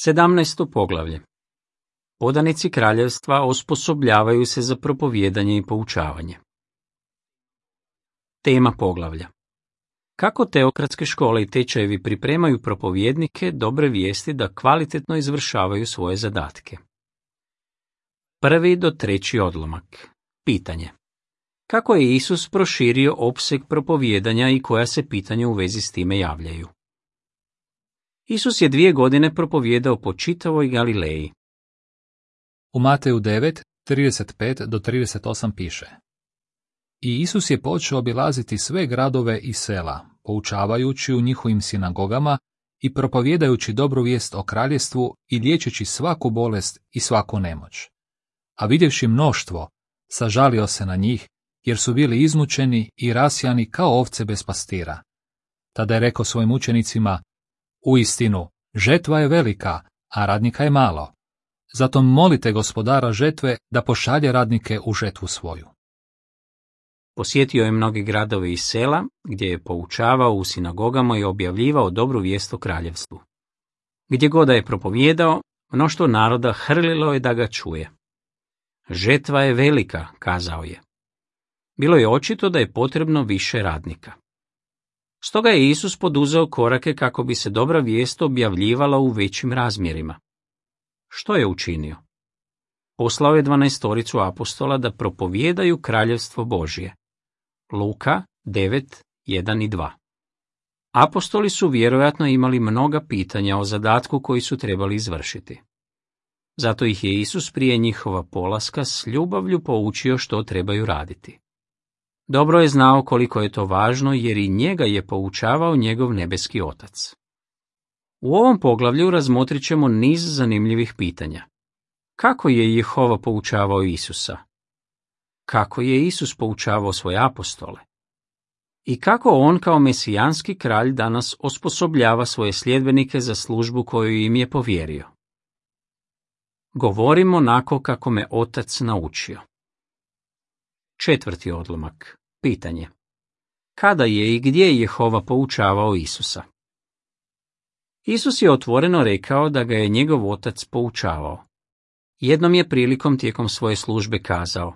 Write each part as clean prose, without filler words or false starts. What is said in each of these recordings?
17. poglavlje. Podanici kraljevstva osposobljavaju se za propovijedanje i poučavanje. Tema poglavlja. Kako teokratske škole i tečajevi pripremaju propovjednike dobre vijesti da kvalitetno izvršavaju svoje zadatke. 1. do 3. odlomak. Pitanje. Kako je Isus proširio opseg propovijedanja i koja se pitanja u vezi s time javljaju? Isus je 2 godine propovijedao po čitavoj Galileji. U Mateju 9, 35 do 38 piše: I Isus je počeo obilaziti sve gradove i sela, poučavajući u njihovim sinagogama i propovijedajući dobru vijest o kraljevstvu i liječeći svaku bolest i svaku nemoć. A vidjevši mnoštvo, sažalio se na njih, jer su bili izmučeni i rasjani kao ovce bez pastira. Tada je rekao svojim učenicima: Uistinu, žetva je velika, a radnika je malo. Zato molite gospodara žetve da pošalje radnike u žetvu svoju. Posjetio je mnoge gradove i sela, gdje je poučavao u sinagogama i objavljivao dobru vijest o kraljevstvu. Gdje god da je propovijedao, mnoštvo naroda hrlilo je da ga čuje. Žetva je velika, kazao je. Bilo je očito da je potrebno više radnika. Stoga je Isus poduzeo korake kako bi se dobra vijest objavljivala u većim razmjerima. Što je učinio? Poslao je 12 apostola da propovijedaju kraljevstvo Božje. Luka 9, 1 i 2. Apostoli su vjerojatno imali mnoga pitanja o zadatku koji su trebali izvršiti. Zato ih je Isus prije njihova polaska s ljubavlju poučio što trebaju raditi. Dobro je znao koliko je to važno, jer i njega je poučavao njegov nebeski Otac. U ovom poglavlju razmotrit ćemo niz zanimljivih pitanja. Kako je Jehova poučavao Isusa? Kako je Isus poučavao svoje apostole? I kako on kao mesijanski kralj danas osposobljava svoje sljedbenike za službu koju im je povjerio? Govorim onako kako me Otac naučio. 4. odlomak. Pitanje. Kada je i gdje je Jehova poučavao Isusa? Isus je otvoreno rekao da ga je njegov Otac poučavao. Jednom je prilikom tijekom svoje službe kazao: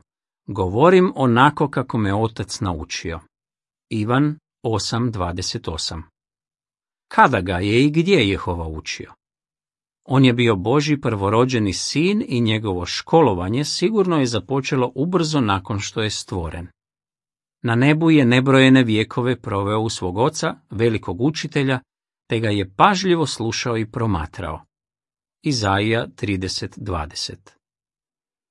Govorim onako kako me Otac naučio. Ivan 8:28. Kada ga je i gdje je Jehova učio? On je bio Božji prvorođeni sin i njegovo školovanje sigurno je započelo ubrzo nakon što je stvoren. Na nebu je nebrojene vjekove proveo u svog oca, velikog učitelja, te ga je pažljivo slušao i promatrao. Izaija 30:20.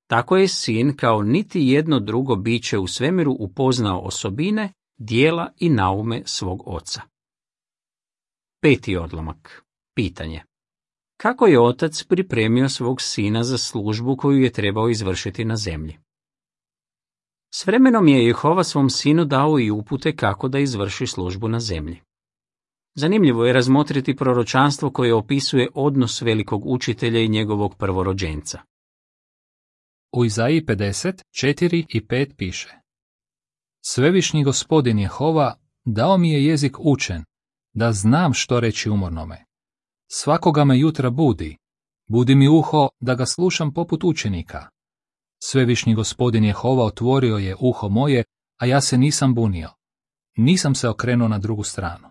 Tako je sin kao niti jedno drugo biće u svemiru upoznao osobine, djela i naume svog oca. 5. odlomak. Pitanje. Kako je otac pripremio svog sina za službu koju je trebao izvršiti na zemlji? S vremenom je Jehova svom sinu dao i upute kako da izvrši službu na zemlji. Zanimljivo je razmotriti proročanstvo koje opisuje odnos velikog učitelja i njegovog prvorođenca. U Izaiji 50, 4 i 5 piše: Svevišnji gospodin Jehova dao mi je jezik učen, da znam što reći umornome. Svakoga me jutra budi mi uho da ga slušam poput učenika. Svevišnji gospodin Jehova otvorio je uho moje, a ja se nisam bunio. Nisam se okrenuo na drugu stranu.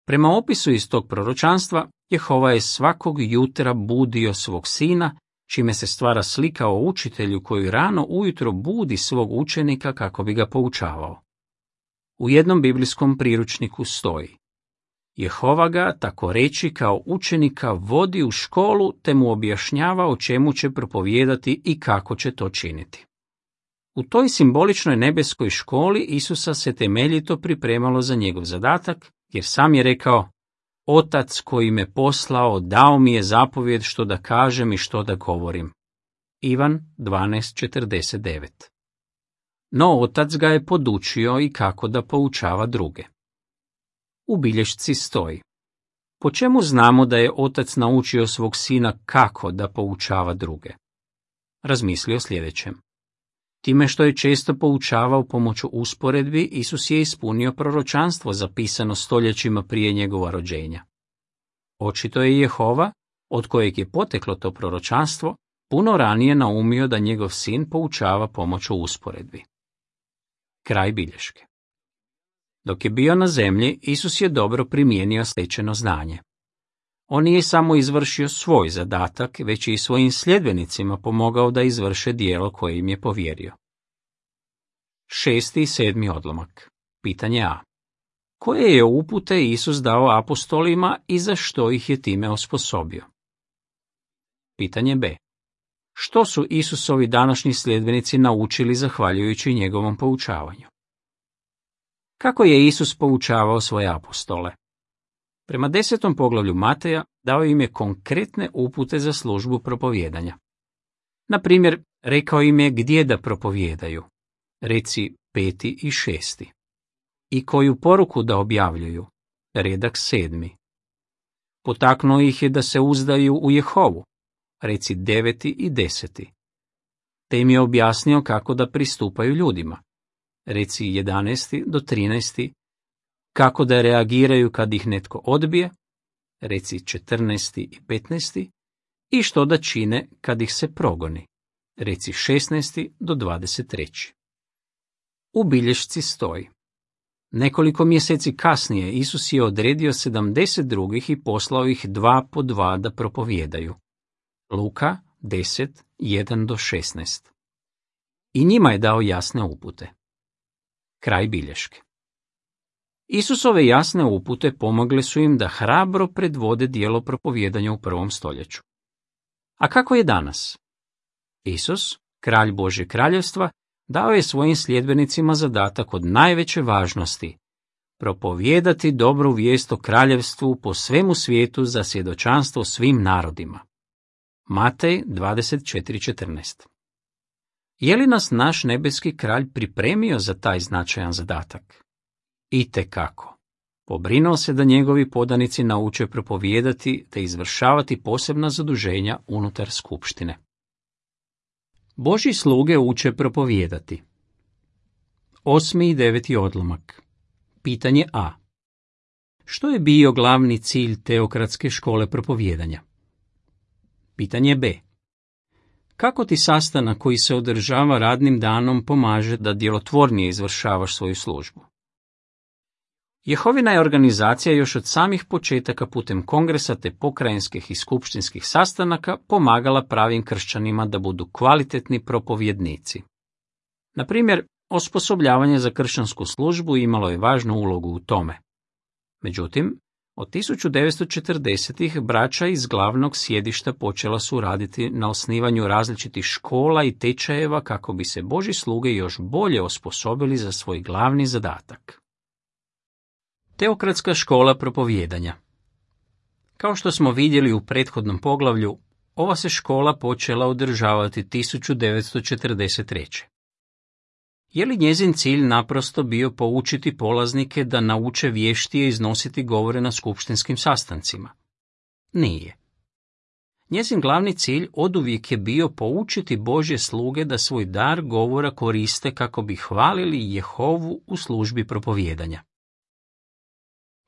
Prema opisu iz tog proročanstva, Jehova je svakog jutra budio svog sina, čime se stvara slika o učitelju koji rano ujutro budi svog učenika kako bi ga poučavao. U jednom biblijskom priručniku stoji: Jehova ga, tako reći, kao učenika vodi u školu te mu objašnjava o čemu će propovijedati i kako će to činiti. U toj simboličnoj nebeskoj školi Isusa se temeljito pripremalo za njegov zadatak, jer sam je rekao: Otac koji me poslao dao mi je zapovjed što da kažem i što da govorim. Ivan 12:49. No otac ga je podučio i kako da poučava druge. U bilješci stoji: Po čemu znamo da je otac naučio svog sina kako da poučava druge? Razmisli o sljedećem. Time što je često poučavao pomoću usporedbi, Isus je ispunio proročanstvo zapisano stoljećima prije njegova rođenja. Očito je Jehova, od kojeg je poteklo to proročanstvo, puno ranije naumio da njegov sin poučava pomoću usporedbi. Kraj bilješke. Dok je bio na zemlji, Isus je dobro primijenio stečeno znanje. On nije samo izvršio svoj zadatak, već i svojim sljedbenicima pomogao da izvrše djelo koje im je povjerio. 6. i 7. odlomak. Pitanje A. Koje je upute Isus dao apostolima i za što ih je time osposobio? Pitanje B. Što su Isusovi današnji sljedbenici naučili zahvaljujući njegovom poučavanju? Kako je Isus poučavao svoje apostole? Prema 10. poglavlju Mateja dao im je konkretne upute za službu propovijedanja. Na primjer, rekao im je gdje da propovijedaju, reci 5. i 6. I koju poruku da objavljuju, redak 7. Potaknuo ih je da se uzdaju u Jehovu, reci 9. i 10. Te im je objasnio kako da pristupaju ljudima, reci 11. do 13. Kako da reagiraju kad ih netko odbije, reci 14. i 15. I što da čine kad ih se progoni, reci 16. do 23. U bilješci stoji: nekoliko mjeseci kasnije Isus je odredio 70 drugih i poslao ih 2 po 2 da propovijedaju. Luka 10, 1 do 16. I njima je dao jasne upute. Kraj bilješke. Isusove jasne upute pomogle su im da hrabro predvode djelo propovijedanja u 1. stoljeću. A kako je danas? Isus, kralj Božjeg kraljevstva, dao je svojim sljedbenicima zadatak od najveće važnosti: propovijedati dobru vijest o kraljevstvu po svemu svijetu za svjedočanstvo svim narodima. Matej 24:14. Je li nas naš nebeski kralj pripremio za taj značajan zadatak? Itekako. Pobrinuo se da njegovi podanici nauče propovijedati te izvršavati posebna zaduženja unutar skupštine. Božji sluge uče propovijedati. 8. i 9. odlomak. Pitanje A. Što je bio glavni cilj teokratske škole propovijedanja? Pitanje B. Kako ti sastanak koji se održava radnim danom pomaže da djelotvornije izvršavaš svoju službu? Jehovina je organizacija još od samih početaka putem kongresa te pokrajinskih i skupštinskih sastanaka pomagala pravim kršćanima da budu kvalitetni propovjednici. Na primjer, osposobljavanje za kršćansku službu imalo je važnu ulogu u tome. Međutim, od 1940-ih braća iz glavnog sjedišta počela su raditi na osnivanju različitih škola i tečajeva kako bi se Božji sluge još bolje osposobili za svoj glavni zadatak. Teokratska škola propovijedanja. Kao što smo vidjeli u prethodnom poglavlju, ova se škola počela održavati 1943. Je li njezin cilj naprosto bio poučiti polaznike da nauče vještije iznositi govore na skupštinskim sastancima? Nije. Njezin glavni cilj oduvijek je bio poučiti Božje sluge da svoj dar govora koriste kako bi hvalili Jehovu u službi propovijedanja.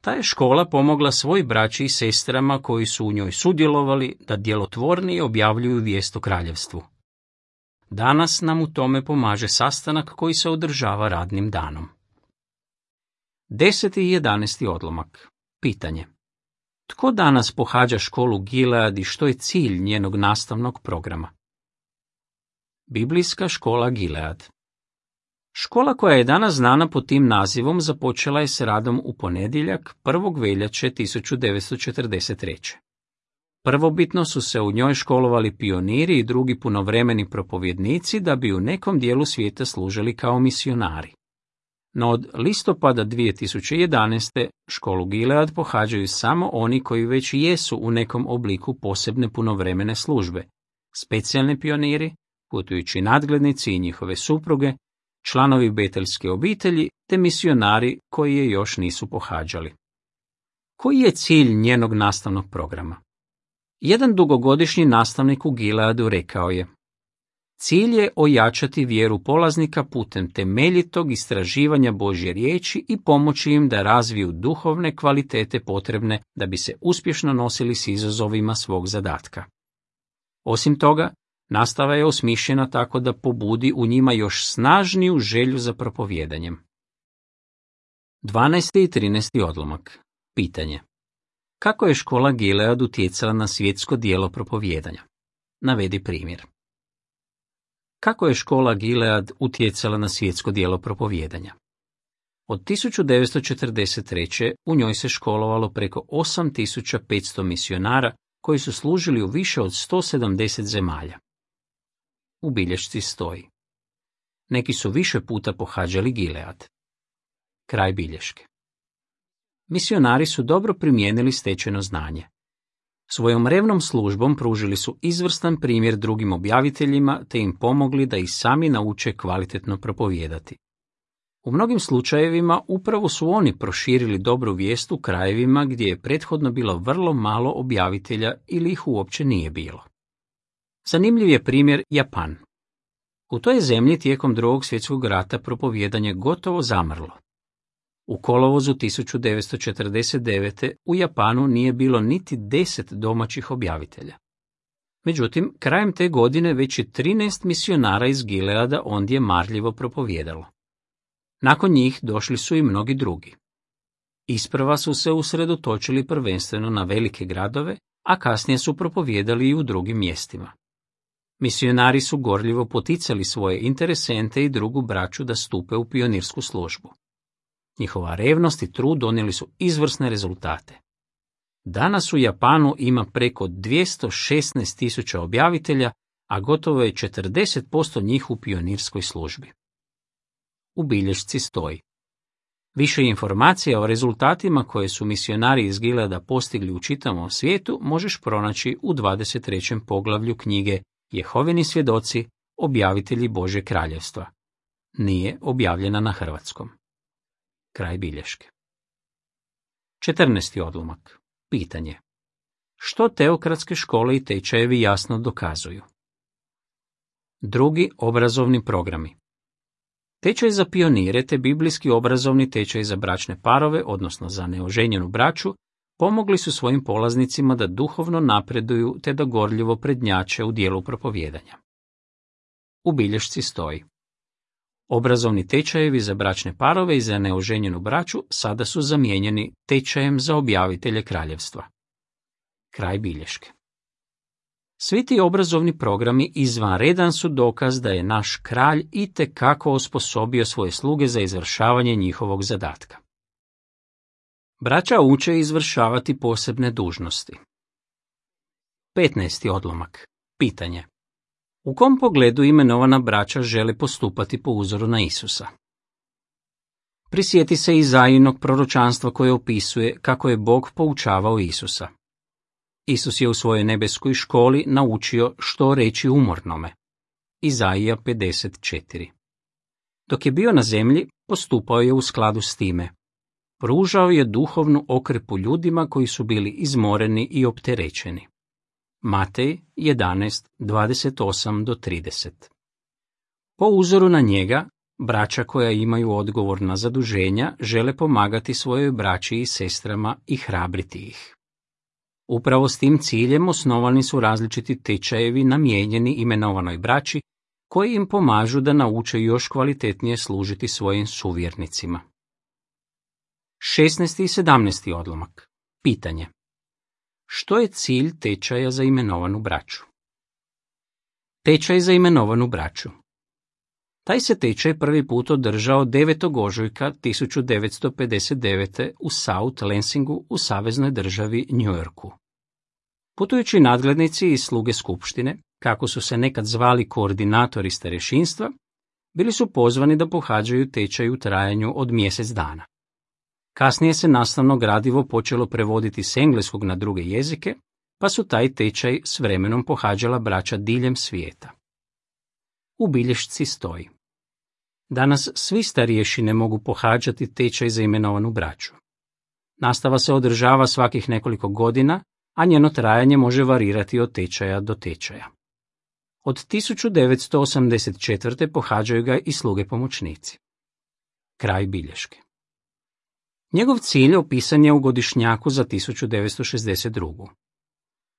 Ta je škola pomogla svoj braći i sestrama koji su u njoj sudjelovali da djelotvornije objavljuju vijest o kraljevstvu. Danas nam u tome pomaže sastanak koji se održava radnim danom. 10. i 11. odlomak. Pitanje. Tko danas pohađa školu Gilead i što je cilj njenog nastavnog programa? Biblijska škola Gilead. Škola koja je danas znana pod tim nazivom započela je s radom u ponedjeljak 1. veljače 1943. Prvobitno su se u njoj školovali pioniri i drugi punovremeni propovjednici da bi u nekom dijelu svijeta služili kao misionari. No od listopada 2011. školu Gilead pohađaju samo oni koji već jesu u nekom obliku posebne punovremene službe, specijalni pioniri, putujući nadglednici i njihove supruge, članovi betelske obitelji te misionari koji je još nisu pohađali. Koji je cilj njenog nastavnog programa? Jedan dugogodišnji nastavnik u Gileadu rekao je: Cilj je ojačati vjeru polaznika putem temeljitog istraživanja Božje riječi i pomoći im da razviju duhovne kvalitete potrebne da bi se uspješno nosili s izazovima svog zadatka. Osim toga, nastava je osmišljena tako da pobudi u njima još snažniju želju za propovijedanjem. 12. i 13. odlomak. Pitanje. Kako je škola Gilead utjecala na svjetsko djelo propovijedanja? Navedi primjer. Kako je škola Gilead utjecala na svjetsko djelo propovijedanja? Od 1943. u njoj se školovalo preko 8500 misionara koji su služili u više od 170 zemalja. U bilješci stoji. Neki su više puta pohađali Gilead. Kraj bilješke. Misionari su dobro primijenili stečeno znanje. Svojom revnom službom pružili su izvrstan primjer drugim objaviteljima te im pomogli da i sami nauče kvalitetno propovijedati. U mnogim slučajevima upravo su oni proširili dobru vijest u krajevima gdje je prethodno bilo vrlo malo objavitelja ili ih uopće nije bilo. Zanimljiv je primjer Japan. U toj zemlji tijekom Drugog svjetskog rata propovijedanje gotovo zamrlo. U kolovozu 1949. u Japanu nije bilo niti 10 domaćih objavitelja. Međutim, krajem te godine već je 13 misionara iz Gileada ondje marljivo propovijedalo. Nakon njih došli su i mnogi drugi. Isprva su se usredotočili prvenstveno na velike gradove, a kasnije su propovijedali i u drugim mjestima. Misionari su gorljivo poticali svoje interesente i drugu braću da stupe u pionirsku službu. Njihova revnost i trud donijeli su izvrsne rezultate. Danas u Japanu ima preko 216.000 objavitelja, a gotovo je 40% njih u pionirskoj službi. U bilješci stoji. Više informacija o rezultatima koje su misionari iz Gileada postigli u čitavom svijetu možeš pronaći u 23. poglavlju knjige Jehovini svjedoci, objavitelji Božje kraljevstva. Nije objavljena na hrvatskom. Kraj bilješke. 14. odlomak. Pitanje. Što teokratske škole i tečajevi jasno dokazuju? Drugi obrazovni programi. Tečaj za pionire te biblijski obrazovni tečaj za bračne parove, odnosno za neoženjenu braću, pomogli su svojim polaznicima da duhovno napreduju te da gorljivo prednjače u dijelu propovijedanja. U bilješci stoji. Obrazovni tečajevi za bračne parove i za neoženjenu braću sada su zamijenjeni tečajem za objavitelje kraljevstva. Kraj bilješke. Svi ti obrazovni programi izvanredan su dokaz da je naš kralj itekako osposobio svoje sluge za izvršavanje njihovog zadatka. Braća uče izvršavati posebne dužnosti. 15. odlomak. Pitanje. U kom pogledu imenovana braća žele postupati po uzoru na Isusa? Prisjeti se Izaijinog proročanstva koje opisuje kako je Bog poučavao Isusa. Isus je u svojoj nebeskoj školi naučio što reći umornome. Izaija 54. Dok je bio na zemlji, postupao je u skladu s time. Pružao je duhovnu okrpu ljudima koji su bili izmoreni i opterećeni. Matej 11:28-30. Po uzoru na njega, braća koja imaju odgovor na zaduženja žele pomagati svojoj braći i sestrama i hrabriti ih. Upravo s tim ciljem osnovani su različiti tečajevi namijenjeni imenovanoj braći koji im pomažu da nauče još kvalitetnije služiti svojim suvjernicima. 16. i 17. odlomak. Pitanje. Što je cilj tečaja za imenovanu braću? Tečaj za imenovanu braću. Taj se tečaj prvi put održao 9. ožujka 1959. u South Lansingu u saveznoj državi New Yorku. Putujući nadglednici i sluge skupštine, kako su se nekad zvali koordinatori starešinstva, bili su pozvani da pohađaju tečaj u trajanju od mjesec dana. Kasnije se nastavno gradivo počelo prevoditi s engleskog na druge jezike, pa su taj tečaj s vremenom pohađala braća diljem svijeta. U bilješci stoji. Danas svi starješine mogu pohađati tečaj za imenovanu braću. Nastava se održava svakih nekoliko godina, a njeno trajanje može varirati od tečaja do tečaja. Od 1984. pohađaju ga i sluge pomoćnici. Kraj bilješke. Njegov cilj opisan je u godišnjaku za 1962.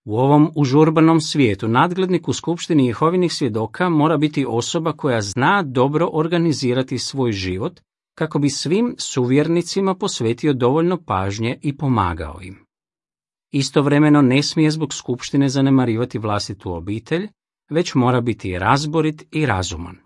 U ovom užurbanom svijetu nadglednik u Skupštini Jehovinih svjedoka mora biti osoba koja zna dobro organizirati svoj život kako bi svim suvjernicima posvetio dovoljno pažnje i pomagao im. Istovremeno ne smije zbog skupštine zanemarivati vlastitu obitelj, već mora biti razborit i razuman.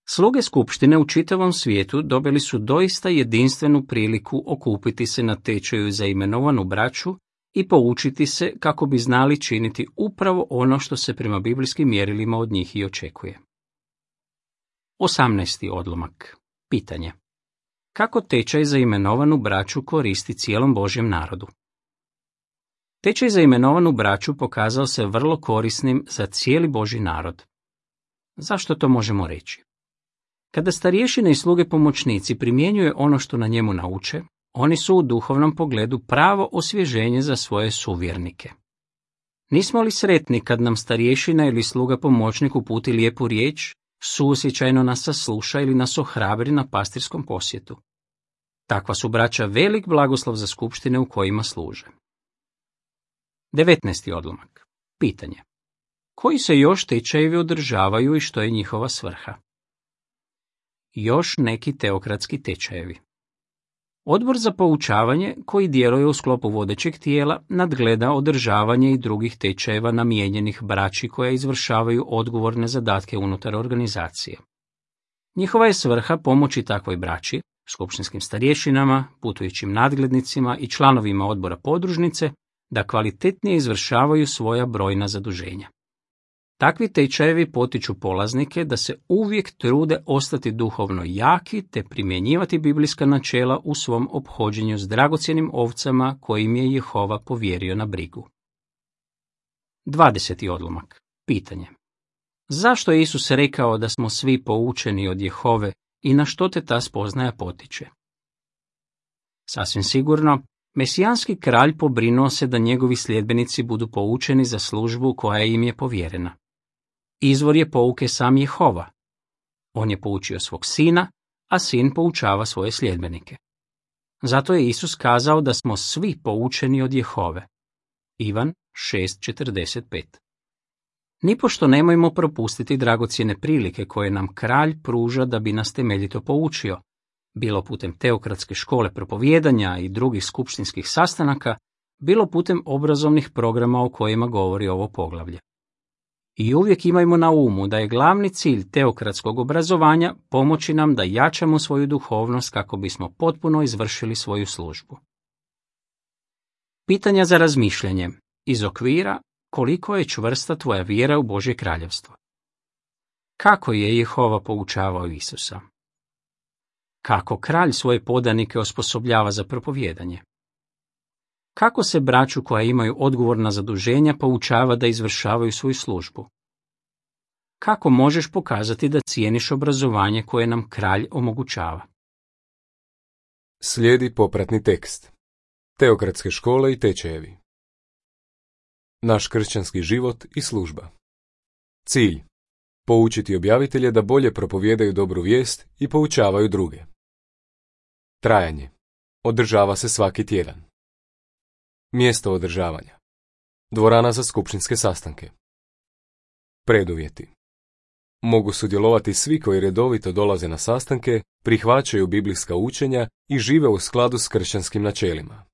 Sluge skupštine u čitavom svijetu dobili su doista jedinstvenu priliku okupiti se na tečaju za imenovanu braću i poučiti se kako bi znali činiti upravo ono što se prema biblijskim mjerilima od njih i očekuje. 18. odlomak. Pitanje. Kako tečaj za imenovanu braću koristi cijelom Božjem narodu? Tečaj za imenovanu braću pokazao se vrlo korisnim za cijeli Božji narod. Zašto to možemo reći? Kada starješine i sluge pomoćnici primjenjuje ono što na njemu nauče, oni su u duhovnom pogledu pravo osvježenje za svoje suvjernike. Nismo li sretni kad nam starješina ili sluga pomoćnik uputi lijepu riječ, suosjećajno nas sasluša ili nas ohrabri na pastirskom posjetu? Takva su braća velik blagoslov za skupštine u kojima služe. 19. odlomak. Pitanje. Koji se još tečajevi održavaju i što je njihova svrha? Još neki teokratski tečajevi. Odbor za poučavanje, koji djeluje u sklopu vodećeg tijela, nadgleda održavanje i drugih tečajeva namijenjenih braći koja izvršavaju odgovorne zadatke unutar organizacije. Njihova je svrha pomoći takvoj braći, skupštinskim starješinama, putujućim nadglednicima i članovima odbora podružnice, da kvalitetnije izvršavaju svoja brojna zaduženja. Takvi tečajevi potiču polaznike da se uvijek trude ostati duhovno jaki te primjenjivati biblijska načela u svom ophođenju s dragocjenim ovcama kojim je Jehova povjerio na brigu. 20. odlomak. Pitanje. Zašto je Isus rekao da smo svi poučeni od Jehove i na što te ta spoznaja potiče? Sasvim sigurno, mesijanski kralj pobrinuo se da njegovi sljedbenici budu poučeni za službu koja im je povjerena. Izvor je pouke sam Jehova. On je poučio svog sina, a sin poučava svoje sljedbenike. Zato je Isus kazao da smo svi poučeni od Jehove. Ivan 6:45. Nipošto nemojmo propustiti dragocjene prilike koje nam kralj pruža da bi nas temeljito poučio, bilo putem teokratske škole propovijedanja i drugih skupštinskih sastanaka, bilo putem obrazovnih programa o kojima govori ovo poglavlje. I uvijek imajmo na umu da je glavni cilj teokratskog obrazovanja pomoći nam da jačamo svoju duhovnost kako bismo potpuno izvršili svoju službu. Pitanja za razmišljanje iz okvira koliko je čvrsta tvoja vjera u Božje kraljevstvo. Kako je Jehova poučavao Isusa? Kako kralj svoje podanike osposobljava za propovijedanje? Kako se braću koja imaju odgovorna zaduženja poučava da izvršavaju svoju službu? Kako možeš pokazati da cijeniš obrazovanje koje nam kralj omogućava? Slijedi popratni tekst. Teokratske škole i tečajevi. Naš kršćanski život i služba. Cilj. Poučiti objavitelje da bolje propovijedaju dobru vijest i poučavaju druge. Trajanje. Održava se svaki tjedan. Mjesto održavanja. Dvorana za skupštinske sastanke. Preduvjeti. Mogu sudjelovati svi koji redovito dolaze na sastanke, prihvaćaju biblijska učenja i žive u skladu s kršćanskim načelima.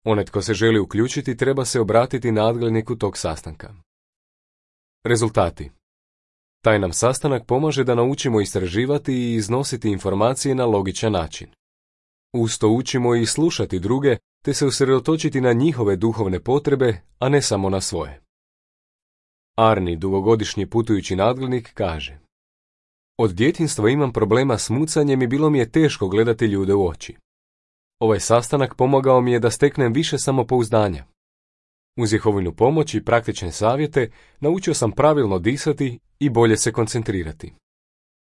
Onaj tko se želi uključiti treba se obratiti nadgledniku tog sastanka. Rezultati. Taj nam sastanak pomaže da naučimo istraživati i iznositi informacije na logičan način. Uz to učimo i slušati druge, te se usredotočiti na njihove duhovne potrebe, a ne samo na svoje. Arni, dugogodišnji putujući nadglednik, kaže: Od djetinjstva imam problema s mucanjem i bilo mi je teško gledati ljude u oči. Ovaj sastanak pomogao mi je da steknem više samopouzdanja. Uz Jehovinu pomoć i praktične savjete naučio sam pravilno disati i bolje se koncentrirati.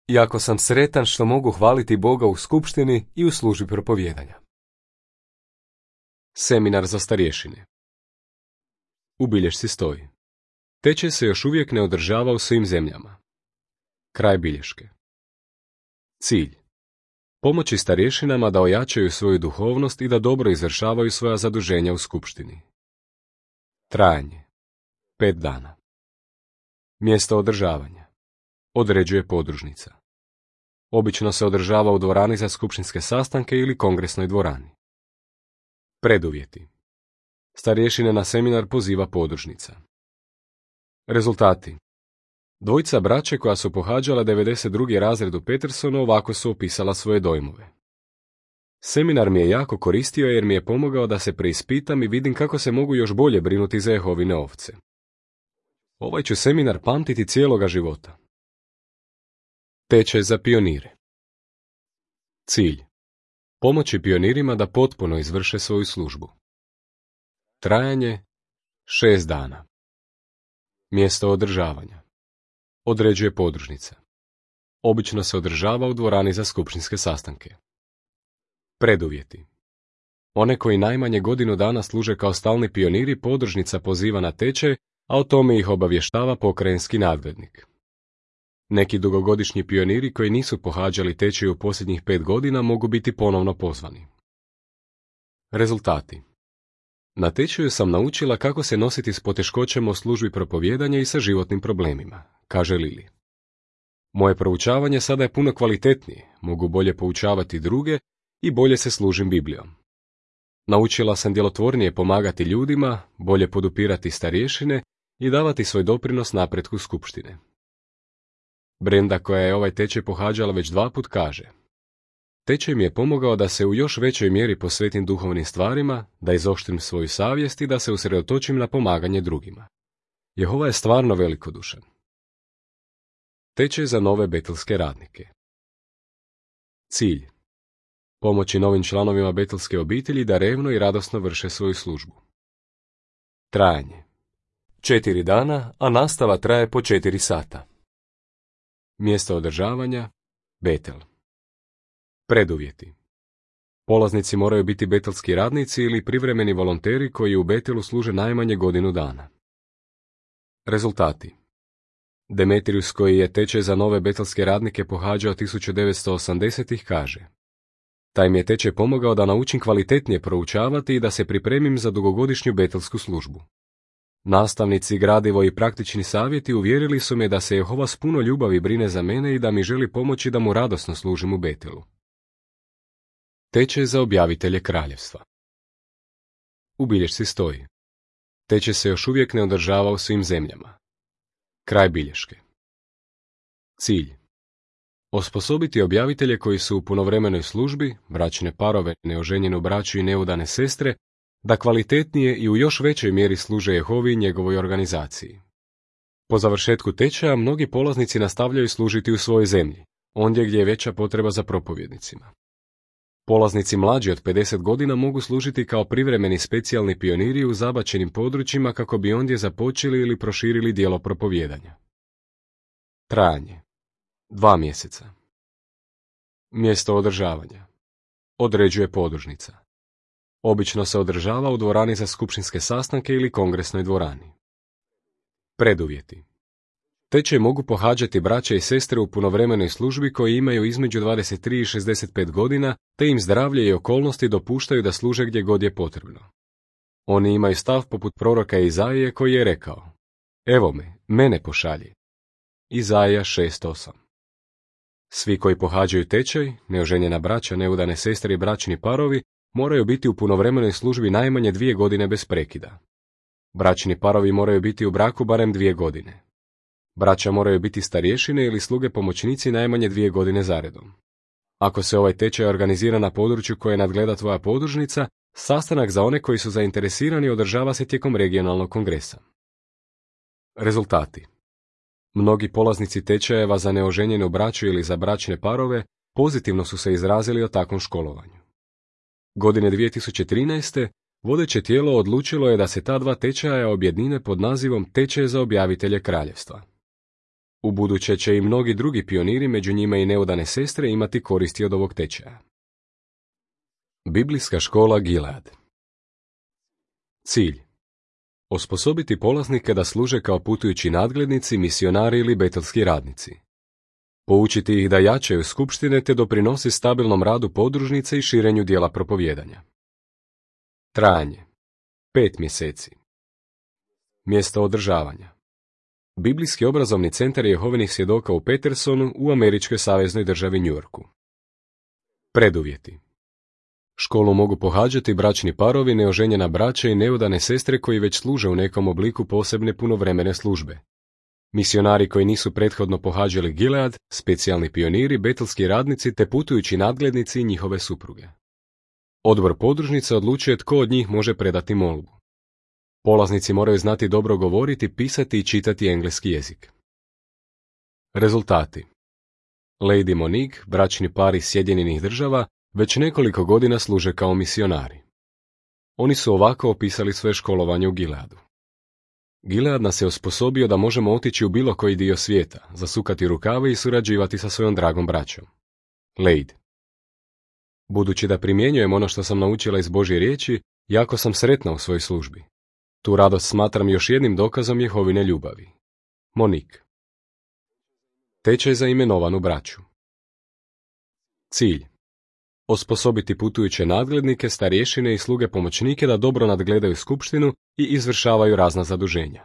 Jako sam sretan što mogu hvaliti Boga u skupštini i u službi propovijedanja. Seminar za starješine. U bilješci stoji: Tečaj se još uvijek ne održava u svim zemljama. Kraj bilješke. Cilj. Pomoći starješinama da ojačaju svoju duhovnost i da dobro izvršavaju svoja zaduženja u skupštini. Trajanje. 5 dana. Mjesto održavanja. Određuje podružnica. Obično se održava u dvorani za skupštinske sastanke ili kongresnoj dvorani. Preduvjeti. Starješine na seminar poziva podružnica. Rezultati. Dvojica braće koja su pohađala 92. razred u Petersonu ovako su opisala svoje dojmove. Seminar mi je jako koristio jer mi je pomogao da se preispitam i vidim kako se mogu još bolje brinuti za Jehovine ovce. Ovaj ću seminar pamtiti cijeloga života. Tečaj za pionire. Cilj. Pomoći pionirima da potpuno izvrše svoju službu. Trajanje 6 dana. Mjesto održavanja. Određuje podružnica. Obično se održava u dvorani za skupštinske sastanke. Preduvjeti. One koji najmanje godinu dana služe kao stalni pioniri podružnica poziva na tečaj, a o tome ih obavještava pokrajinski nadglednik. Neki dugogodišnji pioniri koji nisu pohađali tečaj u posljednjih 5 godina mogu biti ponovno pozvani. Rezultati. Na tečaju sam naučila kako se nositi s poteškoćama u službi propovijedanja i sa životnim problemima, kaže Lili. Moje proučavanje sada je puno kvalitetnije, mogu bolje poučavati druge i bolje se služim Biblijom. Naučila sam djelotvornije pomagati ljudima, bolje podupirati starješine i davati svoj doprinos napretku skupštine. Brenda, koja je ovaj tečaj pohađala već 2 puta, kaže: Tečaj mi je pomogao da se u još većoj mjeri posvetim duhovnim stvarima, da izoštrim svoju savjest i da se usredotočim na pomaganje drugima. Jehova je stvarno velikodušan. Tečaj za nove betelske radnike. Cilj. Pomoći novim članovima betelske obitelji da revno i radosno vrše svoju službu. Trajanje. 4 dana, a nastava traje po 4 sata. Mjesto održavanja. Betel. Preduvjeti. Polaznici moraju biti betelski radnici ili privremeni volonteri koji u Betelu služe najmanje godinu dana. Rezultati. Demetrius, koji je tečaj za nove betelske radnike pohađao 1980-ih, kaže: Taj mi je tečaj pomogao da naučim kvalitetnije proučavati i da se pripremim za dugogodišnju betelsku službu. Nastavnici, gradivo i praktični savjeti uvjerili su me da se Jehova s puno ljubavi brine za mene i da mi želi pomoći da mu radosno služim u Betelu. Tečaj za objavitelje kraljevstva. U bilješci stoji: Tečaj se još uvijek ne održava u svim zemljama. Kraj bilješke. Cilj. Osposobiti objavitelje koji su u punovremenoj službi, bračne parove, neoženjenu braću i neudane sestre, da kvalitetnije i u još većoj mjeri služe Jehovi i njegovoj organizaciji. Po završetku tečaja mnogi polaznici nastavljaju služiti u svojoj zemlji, ondje gdje je veća potreba za propovjednicima. Polaznici mlađi od 50 godina mogu služiti kao privremeni specijalni pioniri u zabačenim područjima kako bi ondje započeli ili proširili djelo propovijedanja. Trajanje. 2 mjeseca. Mjesto održavanja. Određuje podružnica. Obično se održava u dvorani za skupštinske sastanke ili kongresnoj dvorani. Preduvjeti. Tečaj mogu pohađati braće i sestre u punovremenoj službi koji imaju između 23 i 65 godina, te im zdravlje i okolnosti dopuštaju da služe gdje god je potrebno. Oni imaju stav poput proroka Izaije koji je rekao: Evo me, mene pošalji. Izaija 6:8. Svi koji pohađaju tečaj, neoženjena braća, neudane sestre i bračni parovi, moraju biti u punovremenoj službi najmanje 2 godine bez prekida. Bračni parovi moraju biti u braku barem 2 godine. Braća moraju biti starješine ili sluge pomoćnici najmanje 2 godine zaredom. Ako se ovaj tečaj organizira na području koje nadgleda tvoja podružnica, sastanak za one koji su zainteresirani održava se tijekom regionalnog kongresa. Rezultati. Mnogi polaznici tečajeva za neoženjenu braću ili za bračne parove pozitivno su se izrazili o takvom školovanju. Godine 2013. vodeće tijelo odlučilo je da se ta 2 tečaja objedine pod nazivom Tečaj za objavitelje kraljevstva. Ubuduće će i mnogi drugi pioniri, među njima i neudane sestre, imati koristi od ovog tečaja. Biblijska škola Gilead. Cilj. Osposobiti polaznike da služe kao putujući nadglednici, misionari ili betelski radnici. Poučiti ih da jačaju skupštine te doprinosi stabilnom radu podružnice i širenju dijela propovijedanja. Trajanje 5 mjeseci. Mjesto održavanja. Biblijski obrazovni centar Jehovinih svjedoka u Petersonu u američkoj saveznoj državi New Yorku. Preduvjeti. Školu mogu pohađati bračni parovi, neoženjena braća i neudane sestre koji već služe u nekom obliku posebne punovremene službe. Misionari koji nisu prethodno pohađali Gilead, specijalni pioniri, betelski radnici te putujući nadglednici i njihove supruge. Odbor podružnice odlučuje tko od njih može predati molbu. Polaznici moraju znati dobro govoriti, pisati i čitati engleski jezik. Rezultati. Lady Monique, bračni par iz Sjedinjenih Država, već nekoliko godina služe kao misionari. Oni su ovako opisali svoje školovanje u Gileadu. Gilead nas je osposobio da možemo otići u bilo koji dio svijeta, zasukati rukave i surađivati sa svojom dragom braćom. Lade. Budući da primjenjujem ono što sam naučila iz Božje riječi, jako sam sretna u svojoj službi. Tu radost smatram još jednim dokazom Jehovine ljubavi. Monique. Tečaj za imenovanu braću. Cilj. Osposobiti putujuće nadglednike, starješine i sluge pomoćnike da dobro nadgledaju skupštinu i izvršavaju razna zaduženja.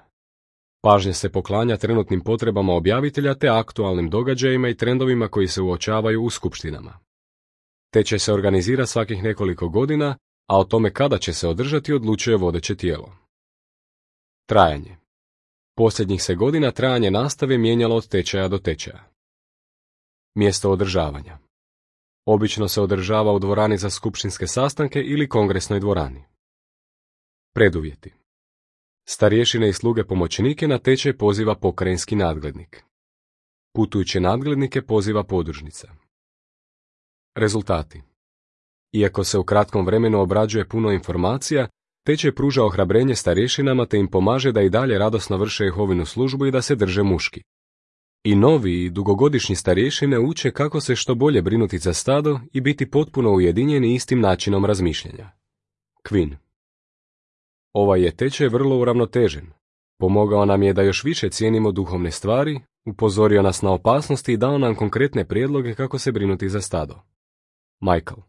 Pažnja se poklanja trenutnim potrebama objavitelja te aktualnim događajima i trendovima koji se uočavaju u skupštinama. Tečaj se organizira svakih nekoliko godina, a o tome kada će se održati odlučuje vodeće tijelo. Trajanje. Posljednjih se godina trajanje nastave mijenjalo od tečaja do tečaja. Mjesto održavanja. Obično se održava u dvorani za skupštinske sastanke ili kongresnoj dvorani. Preduvjeti. Starješine i sluge pomoćnike na tečaj poziva pokrajinski nadglednik. Putujuće nadglednike poziva podružnica. Rezultati. Iako se u kratkom vremenu obrađuje puno informacija, tečaj pruža ohrabrenje starješinama te im pomaže da i dalje radosno vrše Jehovinu službu i da se drže muški. I novi i dugogodišnji starješine uče kako se što bolje brinuti za stado i biti potpuno ujedinjeni istim načinom razmišljanja. Quinn. Ovaj je tečaj vrlo uravnotežen. Pomogao nam je da još više cijenimo duhovne stvari, upozorio nas na opasnosti i dao nam konkretne prijedloge kako se brinuti za stado. Michael.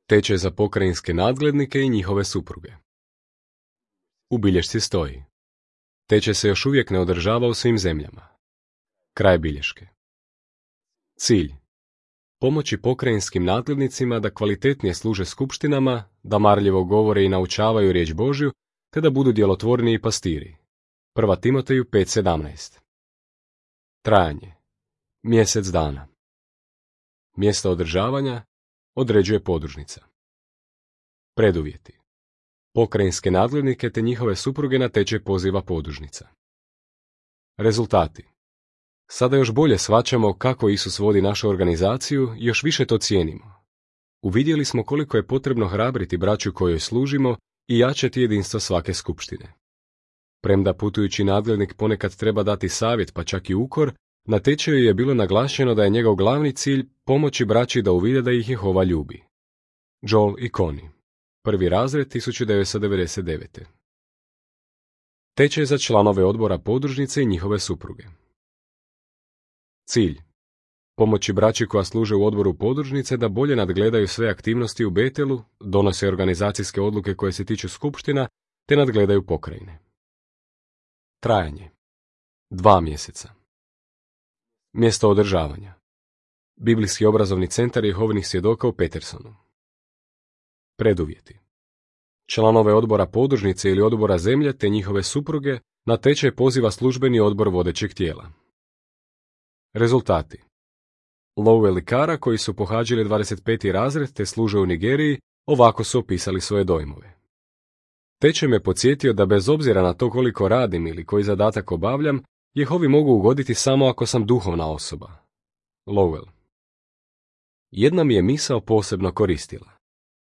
Tečaj za pokrajinske nadglednike i njihove supruge. U bilješci stoji. Tečaj se još uvijek ne održava u svim zemljama. Kraj bilješke. Cilj. Pomoći pokrajinskim nadglednicima da kvalitetnije služe skupštinama, da marljivo govore i naučavaju riječ Božju, te da budu djelotvorniji pastiri. 1. Timoteju 5:17. Trajanje. Mjesec dana. Mjesto održavanja određuje podružnica. Preduvjeti. Pokrajinske nadglednike te njihove supruge na tečaj poziva podružnica. Rezultati. Sada još bolje shvaćamo kako Isus vodi našu organizaciju i još više to cijenimo. Uvidjeli smo koliko je potrebno hrabriti braću kojoj služimo i jačati jedinstvo svake skupštine. Premda putujući nadglednik ponekad treba dati savjet pa čak i ukor, na tečaju je bilo naglašeno da je njegov glavni cilj pomoći braći da uvide da ih Jehova ljubi. Joel i Connie. 1. razred 1999. Tečaj za članove odbora podružnice i njihove supruge. Cilj. Pomoći braći koja služe u odboru podružnice da bolje nadgledaju sve aktivnosti u Betelu, donose organizacijske odluke koje se tiču skupština, te nadgledaju pokrajine. Trajanje. 2 mjeseca. Mjesto održavanja. Biblijski obrazovni centar Jehovinih svjedoka u Petersonu. Preduvjeti. Članove odbora podružnice ili odbora zemlje te njihove supruge na tečaj poziva službeni odbor vodećeg tijela. Rezultati. Lowell i Kara, koji su pohađali 25. razred te služe u Nigeriji, ovako su opisali svoje dojmove. Tečaj me podsjetio da bez obzira na to koliko radim ili koji zadatak obavljam, Jehovi mogu ugoditi samo ako sam duhovna osoba. Lowell. Jedna mi je misao posebno koristila.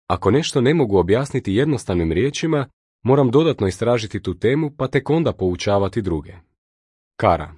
Ako nešto ne mogu objasniti jednostavnim riječima, moram dodatno istražiti tu temu pa tek onda poučavati druge. Kara.